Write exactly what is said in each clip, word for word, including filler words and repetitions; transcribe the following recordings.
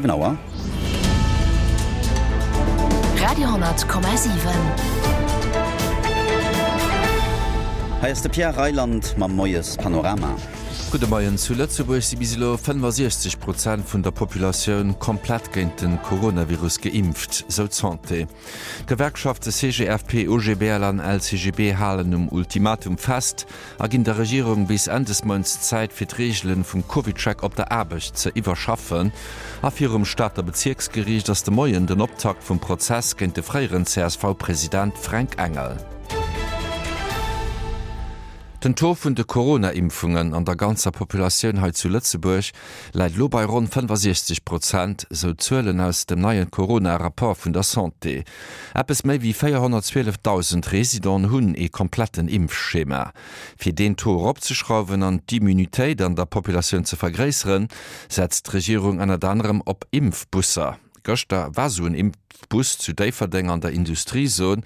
Siwen Auer. Radio honnert Komma siwen. Hei ass de Pierre Reyland mam Moiespanorama. Gudde Moien. Zu Lëtzebuerg si bis elo fënnefasiechzeg Prozent vun der Populatioun komplett géint de Coronavirus geimpft, sou d'Santé. D'Gewerkschafte C G F P, O G B L an L C G B halen um Ultimatum fest a ginn der Regierung bis Enn des Mounts Zäit fir d'Reegele vum CovidCheck op der Aarbecht ze iwwerschaffen. A virum Stater Bezierksgeriicht ass de Moien den Optakt vum Prozess géint de fréieren C S V-President Fränk Engel. Den Taux vun de Corona-Impfungen an der ganzer Populatioun hei zu Lëtzebuerg läit elo bei ronn fënnefasiechzeg Prozent, sou d'Zuelen aus dem neie Corona-Rapport vun der Santé. Eppes méi wéi véierhonnertzwielefdausend Residenten hunn ee kompletten Impfschema. Fir deen Taux eropzeschrauwen an d'Immunitéit an der Populatioun ze vergréisseren, setzt d'Regierung ënnert anerem op Impfbusser. Gëschter war sou en Impfbus zu Déifferdeng an der Industriezon.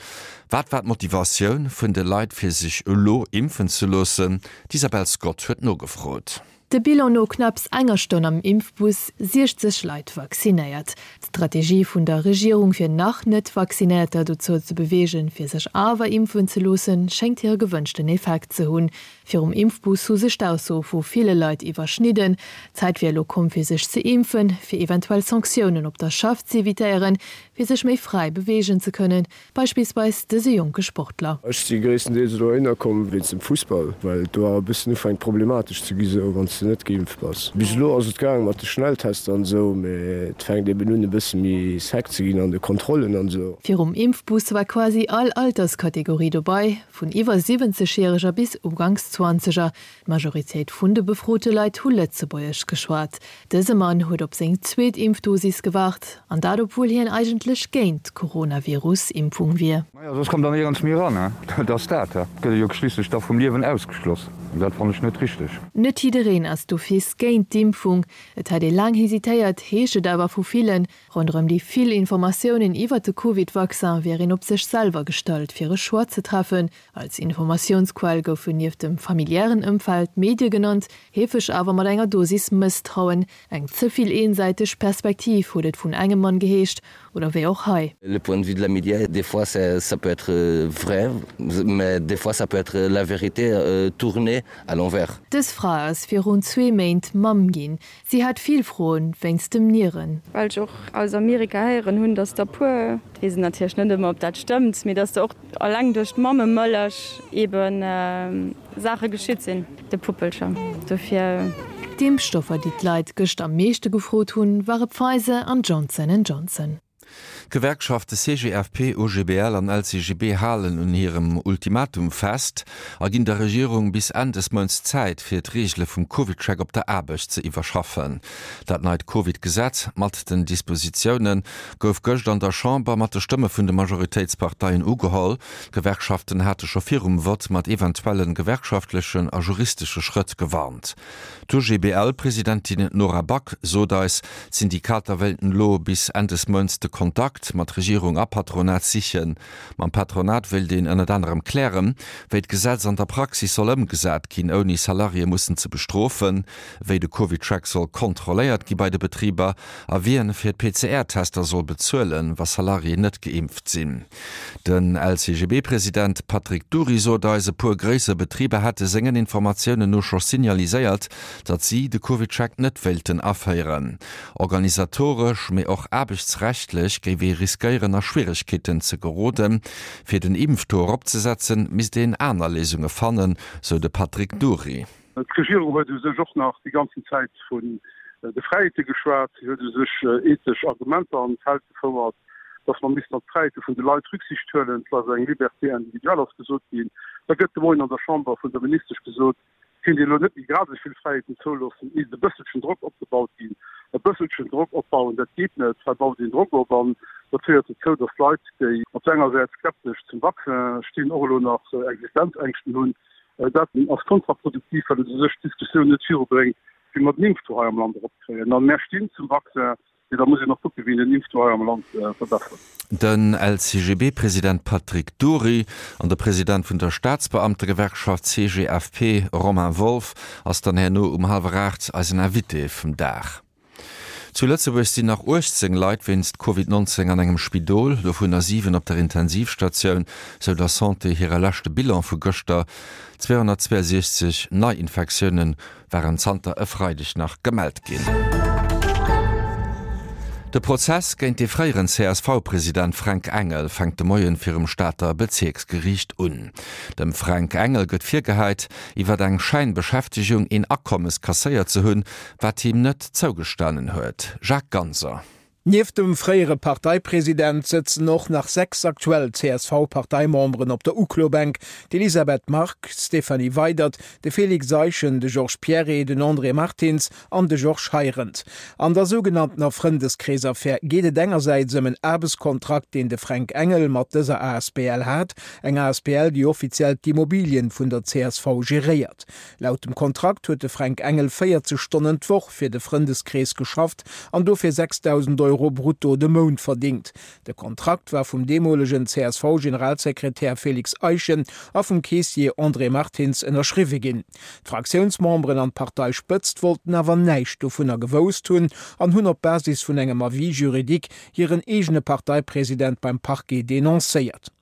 Wat war d'Motivatioun vun de Leit fir sech elo impfen ze loossen? D'Isabel Scott huet nogefrot. De Bilan no knapps enger Stonn am Impfbus, siechzeg Leit vaccinéiert. D'Strategie vun der Regierung fir nach net Vaccinéierter dozou ze beweegen, fir sech awer impfen ze loossen, schéngt hire gewënschten Effekt ze hunn. Virum Impfbus hu sech d'Aussoe vu ville Leit iwwerschnidden. D'Zäit wier elo komm fir sech ze impfen, fir eventuell Sanktiounen op der Schaff ze evitéieren, fir sech méi fräi beweegen ze kënnen, beispillsweis dëse jonke Sportler. Ech si gréisstendeels elo heihinner komm wéinst dem Fussball, well et do awer e bëssen ufänkt problematesch ze gi sou wann s de net geimpft bass. Bis elo ass et gaang mat de Schnelltester an esou, mee et fänkt eben un e bësse méi sec ze ginn an de Kontrollen an esou. Virum Impfbus war quasi all Alterskategorie dobei, vun iwwer siwwenzeg-Järeger bis uganks Zwanzeger. D'Majoritéit vun de befrote Leit hu Lëtzebuergesch geschwat. Dëse Mann huet op seng zweet Impfdosis gewaart, an dat obwuel hien eigentlech géint d'Coronavirus-Impfung wier. Naja, soss kommt der néierens méi eran, ne? Dat ass dat, da gëtt e jo schliisslech da vum Liewen ausgeschloss. An dat fannen ech net richteg. Net jiddereen ass d'office géint d'Impfung. Et hätt ee laang hesitéiert, heescht et awer vu villen. Ronderëm déi vill Informatiounen iwwer de Covid-Vaccin wier een op sech selwer gestallt fir e Choix ze treffen. Als Informatiounsquell goufen nieft dem familiären Ëmfeld d'Medie genannt, heefeg awer mat enger Dosis Mësstrauen. Eng ze vill eensäiteg Perspektiv huet et vun engem Mann geheescht, oder wéi och hei. Le point de vue de la média, des fois ça, ça peut être vrai, mais des fois ça peut être la vérité euh, tournée à l'envers. Dës Fra ass virun zwee Méint Mamm ginn. Si hat vill Froen wéinst dem Nieren. Well ech och aus Amerika héieren hunn, dass der puer, weess natierlech net ëmmer ob dat stëmmt, mee dass der och alleng duerch d'Mammemëllech eben Saache geschitt sinn de Puppelcher. Dofir. D'Impfstoffer, déi d'Leit gëscht am meeschte gefrot hunn, ware Pfizer an Johnson and Johnson. D'Gewerkschafte C G F P, O G B L an L C G B halen un hirem Ultimatum fest a ginn der Regierung bis Enn des Mounts Zäit fir d'Reegele vum CovidCheck op der Aarbecht ze iwwerschaffen. Dat neit Covid-Gesetz mat den Dispositioune gouf gëscht an der Chamber mat de Stëmme vun de Majoritéitsparteien ugeholl. D'Gewerkschaften hate scho virum Vott mat eventuelle gewerkschaftlechen a juristesche Schrëtt gewarnt. D'O G B L-Presidentin Nora Back sot eis, d'Syndikater wéilten elo bis Enn des Mounts de Kontakt mat Regierung a Patronat sichen. Mam Patronat wéilt een ënnert anerem klären, wéi d'Gesetz an der Praxis soll ëmgesat ginn, ouni Salariéë mussen ze bestrofen, wéi de CovidCheck soll kontrolléiert gi bei de Betriber a wien fir d'P C R-Tester soll bezuelen, wa Salariéen net geimpft sinn. Den L C G B-President Patrick Dury sot eis, e puer gréisser Betriber hätte sengen Informatiounen no scho signaliséiert, datt si de CovidCheck net wéilten aféieren. Organisatoresch, mee och aarbechtsrechtlech géif ee riskéieren a Schwieregkeeten ze geroden. Fir den Impftaux eropzesetzen, misst een aner Léisunge fannen, sou de Patrick Dury. D'Regierung huet u sech och nach déi ganzen Zäit vun de Fräiheete geschwat, si huet u sech ethesch Argumenter an d'Feld gefouert, dass mer missten op d'Fräiheete vun de Leit Rücksicht huelen, et ass eng Liberté individuelle ass gesot ginn. Da gëtt de Moien an der Chamber vun der Ministesch gesot, kéint een elo net méi grad esou vill Fräiheeten zouloossen, et misst e bësselchen Drock opgebaut ginn. E bësselchen Drock opbauen, dat geet net, hei baut een Drock op an dat féiert dozou, dass Leit, déi op der enger Säit skeptesch zum Vaccin stinn, och elo nach Existenzängschten hunn. Dat ass kontraproduktiv, well et u sech d'Diskussioun net virubréngt, wéi mer den Impftaux hei am Land eropkréien. A mär stinn zum Vaccin, mee da muss een och kucken, wéi een den Impftaux hei am Land verbessert. Den L C G B-President Patrick Dury an de President vun der Staatsbeamtegewerkschaft C G F P Romain Wolff ass dann herno um hallwer aacht eisen Invité vum Dag. Zu Lëtzebuerg sinn nach uechtzéng Leit wéinst Covid neunzéng an engem Spidol, dovunner siwen op der Intensivstatioun, sou der Santé hire leschte Bilan vu gëschter. zweehonnertzweiundsechzeg Neiinfektioune waren zanter e Freideg nach gemellt ginn. De Prozess géint de fréieren C S V-President Fränk Engel fänkt de Moien virum Stater Bezierksgeriicht un. Dem Fränk Engel gëtt virgehäit, iwwer eng Schäinbeschäftegung een Akommes kasséiert ze hunn, wat him net zougestanen huet. Jacques Ganser. Nieft dem fréiere Parteipresident sëtzen och nach sechs aktuell C S V-Parteimemberen op der Uklobänk, d'Elisabeth Margue, d'Stéphanie Weydert, de Félix Eischen, de Georges Pierret, den André Martins an de Georges Heirendt. An der sougenanntener Frëndeskrees-Affär geet et engersäits ëm en Aarbechtskontrakt, deen de Fränk Engel mat dëser A S B L hat, eng A S B L, déi offiziell d'Immobilien vun der C S V geréiert. Laut dem Kontrakt huet de Fränk Engel véierzeg Stonnen d'Woch fir de Frëndeskrees geschafft an dofir sechsdausend Euro brutto de Mount verdingt. De Kontrakt war vum deemolegen C S V-Generalsekretär Félix Eischen a vum Keessier André Martins ënnerschriwwe ginn. D'Fraktiounsmemberen an d'Parteispëtzt wollten awer näischt dovunner gewousst hunn an hunn op Basis vun engem Avis juridique hiren eegene Parteipresident beim Parquet denoncéiert.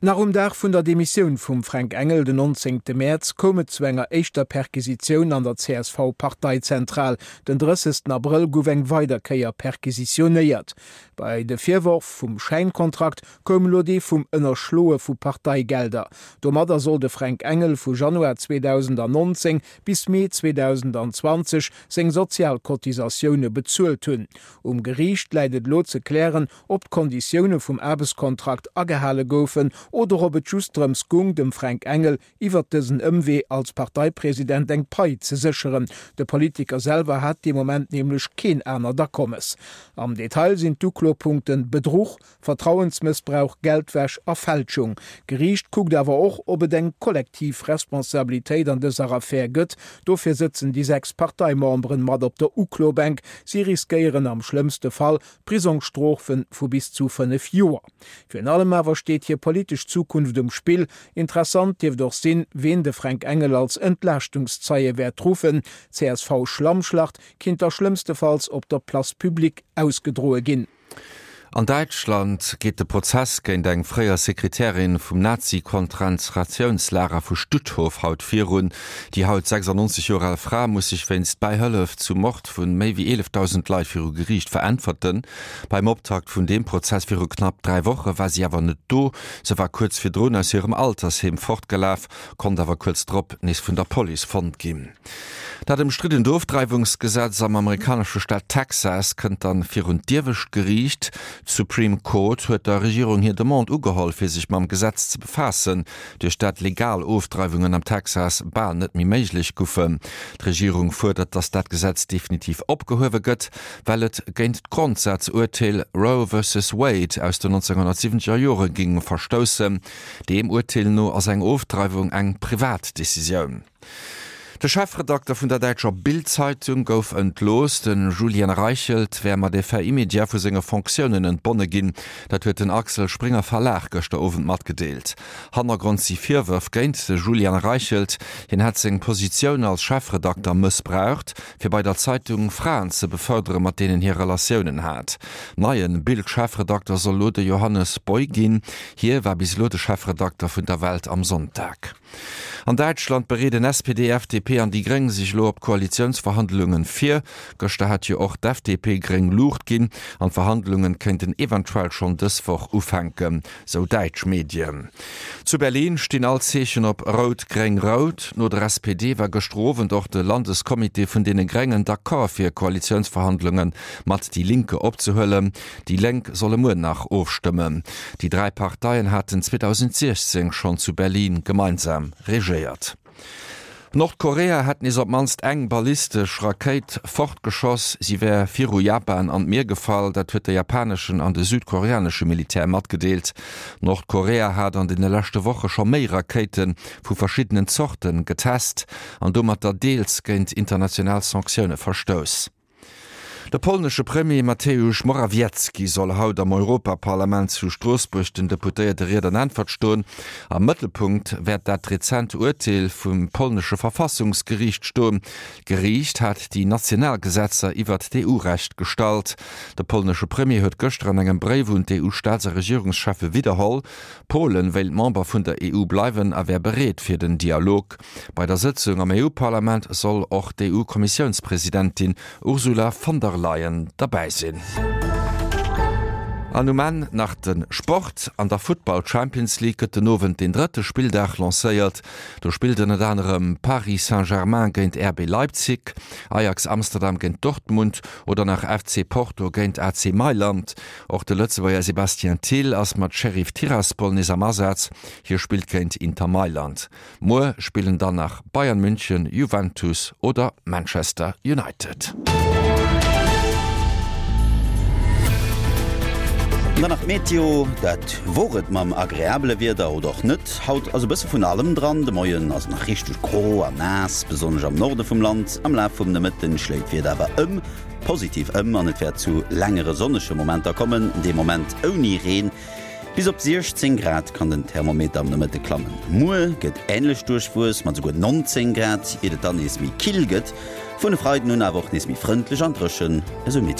Nach um Dag vun der Demissioun vum Fränk Engel, den nonzéngte Mäerz, koum et zu enger éischter Perquisitioun an der C S V-Parteizentral. Den drëssegsten Abrëll gouf eng weider Kéier perquisitionéiert. Bei de Virworf vum Schäinkontrakt koum elo dee vum Ënnerschloe vu Parteigelder. Domadder soll de Fränk Engel vu Januar zweedausendannonzéng bis Mee zweedausendantwanzeg seng Sozialcotisatioune bezuelt hunn. Um Geriicht läit et elo ze klären, ob d'Konditioune vum Aarbechtskontrakt agehale goufen oder ob et just drëms goung, dem Fränk Engel iwwert dësen Ëmwee als Parteipresident eng Pai ze sécheren. De Politiker selwer hat dee Moment nämlech keen anert Akommes. Am Detail sinn d'Uklopunkten Bedruch, Vertrauensmëssbrauch, Geldwäsch a Fälschung. D'Geriicht kuckt awer och, ob et eng kollektiv Responsabilitéit an dëser Affär gëtt. Dofir sëtzen déi sechs Parteimemberen mat op der Uklobänk. Si riskéieren am schlëmmste Fall Prisongsstrofe vu bis zu fënnef Joer. Virun allem awer steet hir politesch Zukunft um Spill. Interessant dierft och sinn, ween de Fränk Engel als Entlaaschtungszeie wäert ruffen. D'C S V-Schlammschlacht kinnt da schlëmmstefalls op der Place publique ausgedroe ginn. An Däitschland geet de Prozess géint eng fréier Sekretärin vum Nazi-Konzentratiounslager vu Stutthof haut virun. Déi haut sechsundneunzeg Joer al Fra muss sech wéinst Bäihëllef zum Mord vu méi wéi eelefdausend Leit viru Geriicht veräntwerten. Beim Optakt vun deem Prozess viru knapp dräi Woche war si awer net do. Se war kuerz virdrun aus hirem Altersheem fortgelaf, konnt awer kuerz drop nees vun der Police fonnt ginn. Dat ëmstriddent Ofdreiwungsgesetz am amerikanesche Staat Texas kënnt dann virun d'iewescht Geriicht. D'Supreme Court huet der Regierung hir Demande ugeholl, fir sech mam Gesetz ze befaassen, duerch dat legal Ofdreiwungen am Texas bal net méi méiglech goufen. D'Regierung fuerdert, datt dat Gesetz definitiv opgehuewe gëtt, well et géint d'Grondsazurteel Roe versus Wade aus den nonzénghonnertsiwwenzeger Jore géing verstoussen. Deem Urteel no ass eng Ofdreiwung eng privat Decisioun. De Chefredakter vun der däitscher Bild-Zeitung gouf entlooss. Den Julian Reichelt wär mat Effet immédiat vu senge Fonctiounen entbonne ginn. Dat huet den Axel Springer Verlag gëschter Owend matgedeelt. Hannergrond si Virwërf géint de Julian Reichelt. Hien hätt seng Positioun als Chefredakter mëssbraucht, fir bei der Zeitung Fraen ze befërderen, mat deenen hie Relatiounen hat. Neien Bild-Chefredakter soll lo de Johannes Boy ginn. Hie war bis elo de Chefredakter vun der Welt am Sonntag. An Däitschland bereeden S P D, F D P an déi Gréng sech elo op d'Koalitiounsverhandlungen vir. Gëschter hat jo och d'F D P gréng Luucht ginn an d'Verhandlungen kéinten eventuell schonn dës Woch ufänken, sou däitsch Medien. Zu Berlin stinn all Zeechen op Rout-Gréng-Rout. No der S P D war gëschter Owend och de Landescomité vun deene Gréngen d'accord fir Koalitiounsverhandlunge mat Die Linke opzehuelen. Déi Lénk solle muer nach ofstëmmen. Déi dräi Parteien haten zweedausendsiechzéng schonn zu Berlin gemeinsam regéiert. Nordkorea hätt nees op d'mannst eng ballistesch Rakéit fortgeschoss. Si wär viru Japan an d'Mier gefall, dat huet de japaneschen an de südkoreanesche Militär matgedeelt. Nordkorea hat an deene leschte Woche scho méi Rakéite vu verschiddenen Zorte getest an domatter deels géint international Sanktioune verstouss. De polnesche Premier Mateusz Morawiecki soll haut am Europaparlament zu Stroossbuerg den Deputéierte Ried an Äntwert stoen. Am Mëttelpunkt wäert dat rezent Urteel vum polnesche Verfassungsgeriicht stoen. D'Geriicht hat déi national Gesetzer iwwert d'EU-Recht gestallt. De polnesche Premier huet gëschter an engem Bréif un d'EU-Staats a Regierungscheffe widderholl, Polen wéilt Member vun der EU bleiwen a wär bereet fir den Dialog. Bei der Sëtzung am EU-Parlament soll och d'EU-Kommissiounspresidentin Ursula von der Leyen derbäi sinn. An um Enn nach de Sport, An der Futtball Champions League gëtt den Owend den drëtte Spilldag lancéiert. Do spillt ënnert anerem Paris Saint-Germain géint RB Leipzig, Ajax Amsterdam géint Dortmund oder nach FC Porto géint AC Mailand. Och de Lëtzebuerger Sebastien Thill ass mat Sheriff Tiraspol nees am Asaz, hie spillt géint Inter Mailand. Muer spillen dann nach Bayern München, Juventus oder Manchester United. An dann nach d'Meteo, Dat wor et mam agreabele Wieder oder och net. Haut ass e bësse vun allem dran. De Moien ass et nach richteg gro a naass, besonnesch am Norde vum Land. Am Laf vum Nomëtten schléit d'Wieder awer ëm positiv ëm an et wäert zu längere sonnege Momenter kommen, dee Moment ouni Reen. Bis op siechzéng Grad kann den Thermometer am Nomëtte klammen. Muer gëtt änlech duerchwuess mat esouguer neunzéng Grad, iert et dann nees méi kill gëtt. Vun e Freiden un awer och nees méi frëndlech an dréchen, esou Meteolux.